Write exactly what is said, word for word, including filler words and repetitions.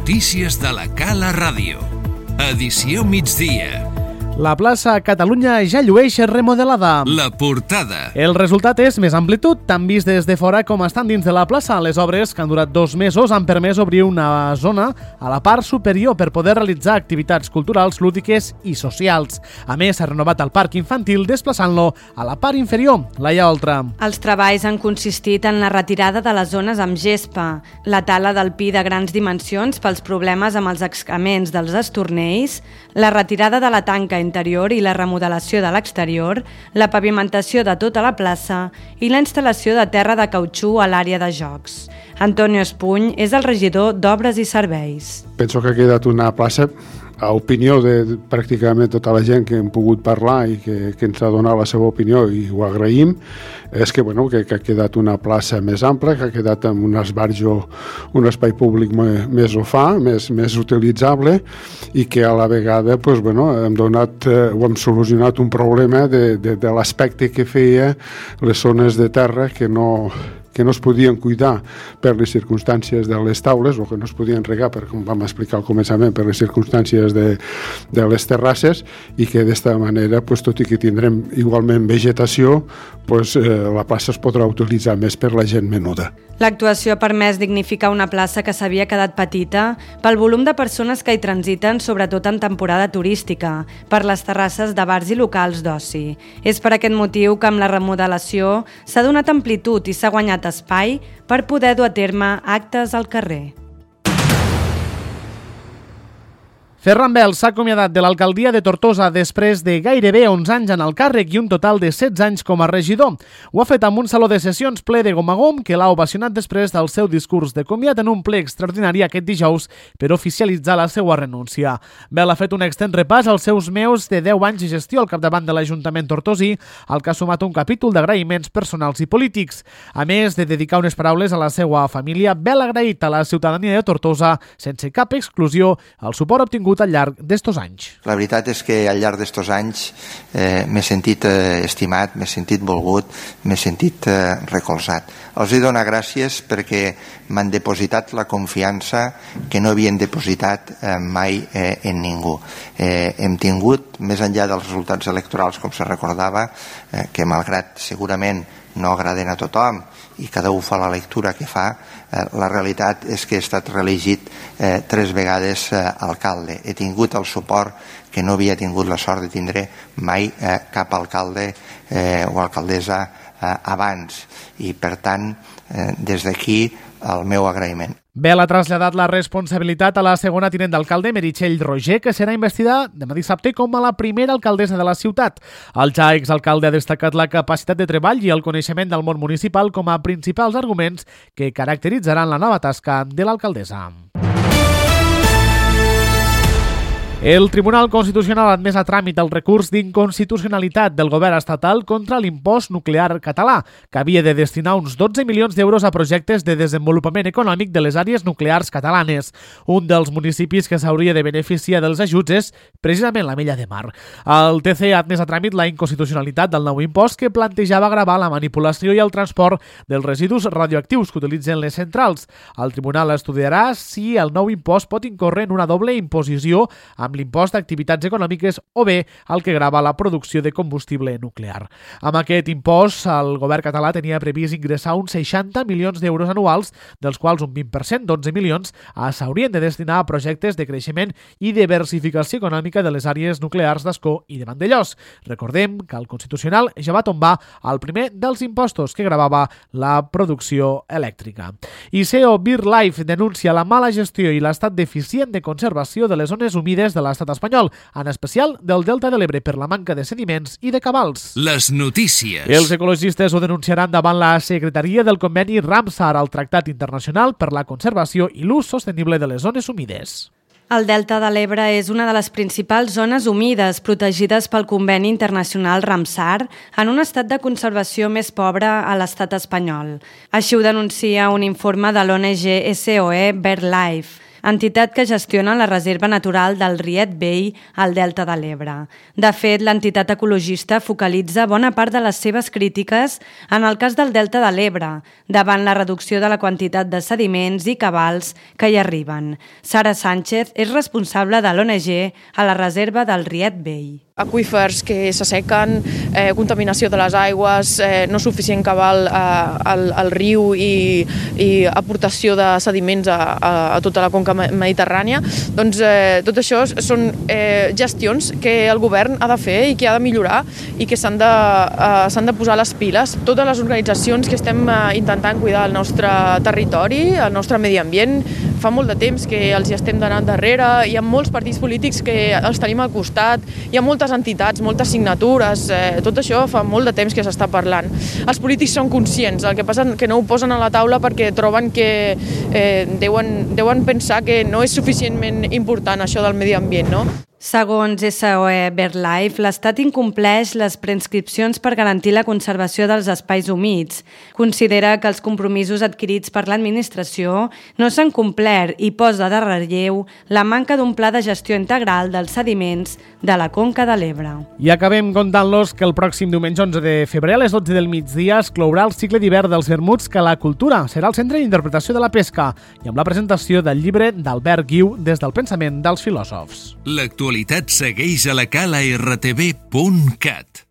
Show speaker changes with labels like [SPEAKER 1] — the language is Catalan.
[SPEAKER 1] notícies de la Cala Ràdio. Edició migdia.
[SPEAKER 2] La plaça Catalunya ja llueix remodelada.
[SPEAKER 1] La portada.
[SPEAKER 2] El resultat és més amplitud, tant vist des de fora com estan dins de la plaça. Les obres, que han durat dos mesos, han permès obrir una zona a la part superior per poder realitzar activitats culturals, lúdiques i socials. A més, s'ha renovat el parc infantil desplaçant-lo a la part inferior, Laia Oltra.
[SPEAKER 3] Els treballs han consistit en la retirada de les zones amb gespa, la tala del pi de grans dimensions pels problemes amb els excrements dels estornells, la retirada de la tanca interior i la remodelació de l'exterior, la pavimentació de tota la plaça i la instal·lació de terra de cautxú a l'àrea de jocs. Antonio Espuny és el regidor d'Obres i Serveis.
[SPEAKER 4] Penso que ha quedat una plaça, a opinió de pràcticament tota la gent que hem pogut parlar i que, que ens ha donat la seva opinió i ho agraïm, és que, bueno, que, que ha quedat una plaça més ampla, que ha quedat amb un esbarjo, un espai públic més ho fa, més, més utilitzable i que a la vegada pues, bueno, hem donat, eh, ho hem solucionat un problema de, de, de l'aspecte que feia les zones de terra que no... que no es podien cuidar per les circumstàncies de les taules o que no es podien regar, per, com vam explicar al començament, per les circumstàncies de, de les terrasses i que d'esta manera, pues, tot i que tindrem igualment vegetació, pues, eh, la plaça es podrà utilitzar més per la gent menuda.
[SPEAKER 3] L'actuació ha permès dignificar una plaça que s'havia quedat petita pel volum de persones que hi transiten, sobretot en temporada turística, per les terrasses de bars i locals d'oci. És per aquest motiu que amb la remodelació s'ha donat amplitud i s'ha guanyat espai per poder dur a terme actes al carrer.
[SPEAKER 2] Ferran Bel s'ha acomiadat de l'alcaldia de Tortosa després de gairebé onze anys en el càrrec i un total de setze anys com a regidor. Ho ha fet amb un saló de sessions ple de gom a gom que l'ha ovacionat després del seu discurs de comiat en un ple extraordinari aquest dijous per oficialitzar la seva renúncia. Bel ha fet un extens repàs als seus meus de deu anys de gestió al capdavant de l'Ajuntament tortosí, al que ha sumat un capítol d'agraïments personals i polítics. A més de dedicar unes paraules a la seva família, Bel ha agraït a la ciutadania de Tortosa, sense cap exclusió, el suport obtingut al llarg d'estos anys.
[SPEAKER 5] La veritat és que al llarg d'estos anys eh, m'he sentit eh, estimat, m'he sentit volgut, m'he sentit eh, recolzat. Els he donat gràcies perquè m'han depositat la confiança que no havien depositat eh, mai eh, en ningú. Eh, hem tingut, més enllà dels resultats electorals, com se recordava, eh, que malgrat segurament no agraden a tothom i cada un fa la lectura que fa, eh, la realitat és que he estat reelegit eh, tres vegades eh, alcalde. He tingut el suport que no havia tingut la sort de tindre mai eh, cap alcalde eh, o alcaldessa eh, abans i per tant eh, des d'aquí el meu agraïment.
[SPEAKER 2] Bel ha traslladat la responsabilitat a la segona tinent d'alcalde, Meritxell Roger, que serà investida demà dissabte com a la primera alcaldessa de la ciutat. El ja exalcalde ha destacat la capacitat de treball i el coneixement del món municipal com a principals arguments que caracteritzaran la nova tasca de l'alcaldessa. El Tribunal Constitucional ha admès a tràmit el recurs d'inconstitucionalitat del govern estatal contra l'impost nuclear català, que havia de destinar uns dotze milions d'euros a projectes de desenvolupament econòmic de les àrees nuclears catalanes. Un dels municipis que s'hauria de beneficiar dels ajuts és precisament l'Ametlla de Mar. El T C ha admès a tràmit la inconstitucionalitat del nou impost que plantejava gravar la manipulació i el transport dels residus radioactius que utilitzen les centrals. El tribunal estudiarà si el nou impost pot incórrer en una doble imposició amb l'impost d'activitats econòmiques o bé el que grava la producció de combustible nuclear. Amb aquest impost, el govern català tenia previst ingressar uns seixanta milions d'euros anuals, dels quals un vint per cent, dotze milions, s'haurien de destinar a projectes de creixement i diversificació econòmica de les àrees nuclears d'Ascó i de Vandellòs. Recordem que el Constitucional ja va tombar el primer dels impostos que gravava la producció elèctrica. I C E O BirdLife denuncia la mala gestió i l'estat deficient de conservació de les zones humides de l'estat espanyol, en especial del Delta de l'Ebre per la manca de sediments i de cabals.
[SPEAKER 1] Les notícies.
[SPEAKER 2] Els ecologistes ho denunciaran davant la Secretaria del Conveni Ramsar, el Tractat Internacional per la Conservació i l'Ús Sostenible de les Zones Humides.
[SPEAKER 3] El Delta de l'Ebre és una de les principals zones humides protegides pel Conveni Internacional Ramsar en un estat de conservació més pobre a l'estat espanyol. Així ho denuncia un informe de l'O N G S O E BirdLife. entitat que gestiona la Reserva Natural del Riet Vell al Delta de l'Ebre. De fet, l'entitat ecologista focalitza bona part de les seves crítiques en el cas del Delta de l'Ebre, davant la reducció de la quantitat de sediments i cabals que hi arriben. Sara Sánchez és responsable de l'O N G a la Reserva del Riet Vell.
[SPEAKER 6] Aqüífers que s'assequen, eh, contaminació de les aigües, eh, no suficient cabal eh, al, al riu i, i aportació de sediments a, a, a tota la conca mediterrània. Doncs eh, tot això són eh, gestions que el govern ha de fer i que ha de millorar i que s'han de, eh, s'han de posar les piles. Totes les organitzacions que estem eh, intentant cuidar el nostre territori, el nostre medi ambient, fa molt de temps que els hi estem donant darrere, hi ha molts partits polítics que els tenim al costat, hi ha moltes entitats, moltes signatures, eh, tot això fa molt de temps que s'està parlant. Els polítics són conscients, el que passa és que no ho posen a la taula perquè troben que eh, deuen, deuen pensar que no és suficientment important això del medi ambient, no?
[SPEAKER 3] Segons S O E BirdLife, l'Estat incompleix les prescripcions per garantir la conservació dels espais humits. Considera que els compromisos adquirits per l'administració no s'han complert i posa de relleu la manca d'un pla de gestió integral dels sediments de la Conca de l'Ebre.
[SPEAKER 2] I acabem contant-los que el pròxim diumenge onze de febrer a les dotze del migdia es clourà el cicle d'hivern dels vermuts que la cultura serà el centre d'interpretació de la pesca i amb la presentació del llibre d'Albert Guiu des del pensament dels filòsofs.
[SPEAKER 1] L'actualitat segueix a la cala r t v punt cat.